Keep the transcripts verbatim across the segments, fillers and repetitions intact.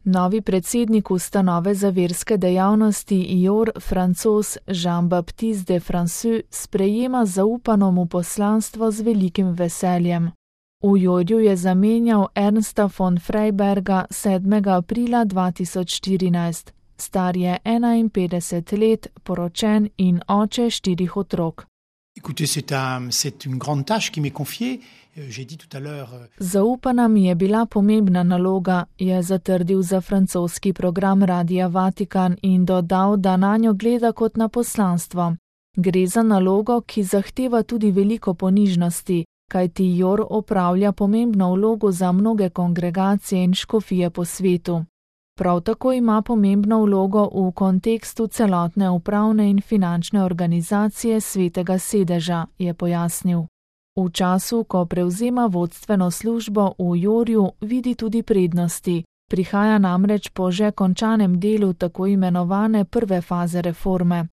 Novi predsednik ustanove za verske dejavnosti I O R, Francoz Jean-Baptiste de François, sprejema zaupano mu poslanstvo z velikim veseljem. V I O R-ju je zamenjal Ernsta von Freiberga sedmega aprila dva tisoč štirinajst. Star je enainpetdeset let, poročen in oče štirih otrok. Écoutez, c'est un, c'est une grande tâche qui m'est confiée. J'ai dit tout à l'heure. Zaupana mi je bila pomembna naloga, je zatrdil za francoski program Radia Vatikan in dodal, da nanjo gleda kot na poslanstvo. Gre za nalogo, ki zahteva tudi veliko ponižnosti, kajti I O R opravlja pomembno vlogo za mnoge kongregacije in škofije po svetu. Prav tako ima pomembno vlogo v kontekstu celotne upravne in finančne organizacije Svetega sedeža, je pojasnil. V času, ko prevzema vodstveno službo v I O R-ju, vidi tudi prednosti. Prihaja namreč po že končanem delu tako imenovane prve faze reforme.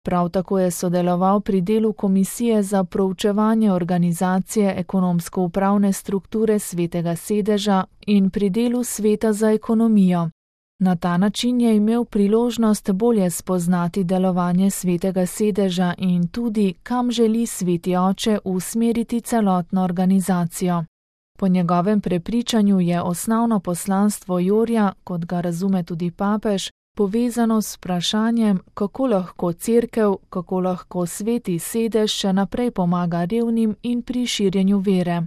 Prav tako je sodeloval pri delu Komisije za proučevanje organizacije ekonomsko-upravne strukture Svetega sedeža in pri delu Sveta za ekonomijo. Na ta način je imel priložnost bolje spoznati delovanje Svetega sedeža in tudi, kam želi Sveti oče usmeriti celotno organizacijo. Po njegovem prepričanju je osnovno poslanstvo I O R-ja, kot ga razume tudi papež, povezano s vprašanjem, kako lahko cerkev, kako lahko Sveti sedež še naprej pomaga revnim in pri širjenju vere.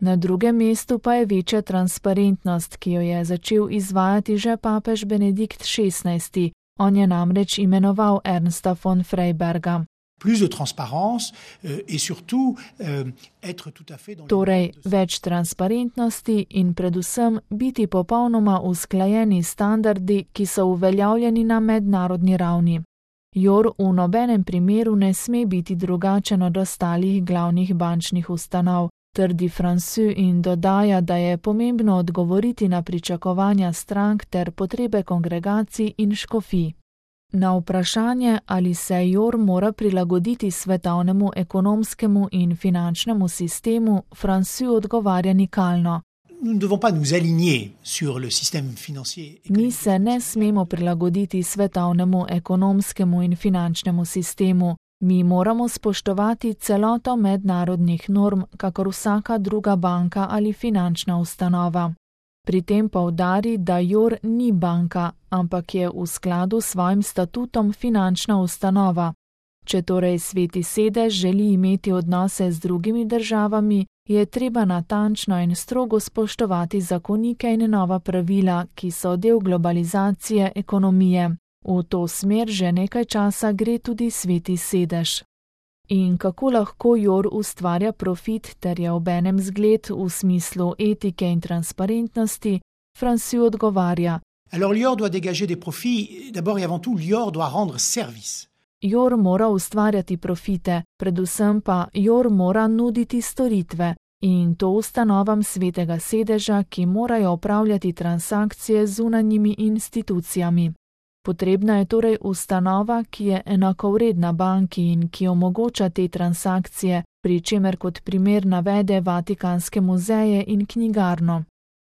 Na drugem mestu pa je večja transparentnost, ki jo je začel izvajati že papež Benedikt šestnajsti. On je namreč imenoval Ernsta von Freiberga. Plus de transparence et surtout être tout à fait dans Torej, več transparentnosti in predvsem biti popolnoma usklajeni standardi, ki so uveljavljeni na mednarodni ravni. I O R v nobenem primeru ne sme biti drugačen od ostalih glavnih bančnih ustanov, trdi François in dodaja, da je pomembno odgovoriti na pričakovanja strank ter potrebe kongregacij in škofij. Na vprašanje, ali se I O R mora prilagoditi svetovnemu ekonomskemu in finančnemu sistemu, François odgovarja nikalno. Mi se ne smemo prilagoditi svetovnemu ekonomskemu in finančnemu sistemu. Mi moramo spoštovati celoto mednarodnih norm, kakor vsaka druga banka ali finančna ustanova. Pri tem poudari, da I O R ni banka, ampak je v skladu s svojim statutom finančna ustanova. Če torej Sveti sedež želi imeti odnose z drugimi državami, je treba natančno in strogo spoštovati zakonike in nova pravila, ki so del globalizacije ekonomije. V to smer že nekaj časa gre tudi Sveti sedež. In kako lahko I O R ustvarja profit ter je obenem zgled v smislu etike in transparentnosti, François odgovarja. Alors l'I O R doit dégager des profits, d'abord et avant tout l'I O R doit rendre service. I O R mora ustvarjati profite, predvsem pa I O R mora nuditi storitve in to ustanovam Svetega sedeža, ki morajo opravljati transakcije z zunanjimi institucijami. Potrebna je torej ustanova, ki je enakovredna banki in ki omogoča te transakcije, pri čemer kot primer navede Vatikanske muzeje in knjigarno.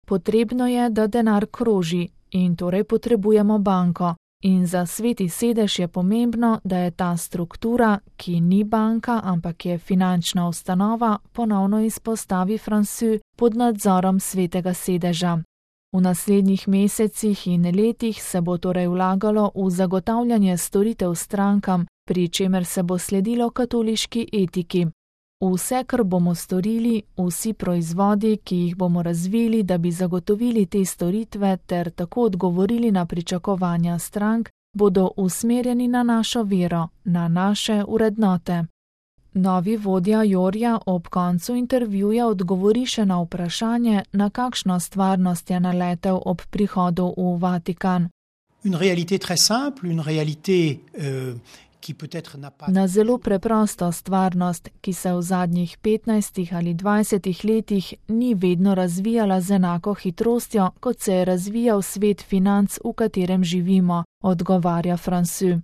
Potrebno je, da denar kroži in torej potrebujemo banko. In za Sveti sedež je pomembno, da je ta struktura, ki ni banka, ampak je finančna ustanova, ponovno izpostavi François, pod nadzorom Svetega sedeža. V naslednjih mesecih in letih se bo torej vlagalo v zagotavljanje storitev strankam, pri čemer se bo sledilo katoliški etiki. Vse, kar bomo storili, vsi proizvodi, ki jih bomo razvili, da bi zagotovili te storitve ter tako odgovorili na pričakovanja strank, bodo usmerjeni na našo vero, na naše vrednote. Novi vodja I O R-ja ob koncu intervjuja odgovori še na vprašanje, na kakšno stvarnost je naletel ob prihodu v Vatikan. Une réalité très simple, une réalité euh, qui peut-être n'a pas... Na zelo preprosto stvarnost, ki se v zadnjih petnajstih ali dvajsetih letih ni vedno razvijala z enako hitrostjo, kot se je razvijal svet financ, v katerem živimo, odgovarja François.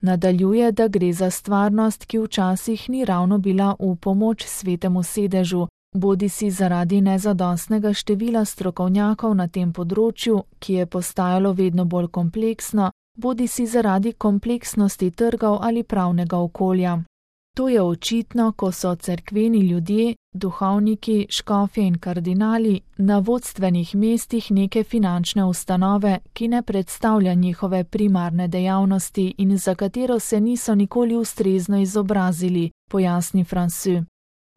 Nadaljuje, da gre za stvarnost, ki včasih ni ravno bila v pomoč Svetemu sedežu, Bodisi zaradi nezadostnega števila strokovnjakov na tem področju, ki je postajalo vedno bolj kompleksno, bodisi zaradi kompleksnosti trgov ali pravnega okolja. To je očitno, ko so cerkveni ljudje, duhovniki, škofje in kardinali na vodstvenih mestih neke finančne ustanove, ki ne predstavlja njihove primarne dejavnosti in za katero se niso nikoli ustrezno izobrazili, pojasni Francois.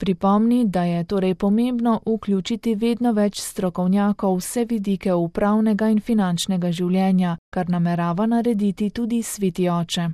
Pripomni, da je torej pomembno vključiti vedno več strokovnjakov vse vidike upravnega in finančnega življenja, kar namerava narediti tudi Sveti oče.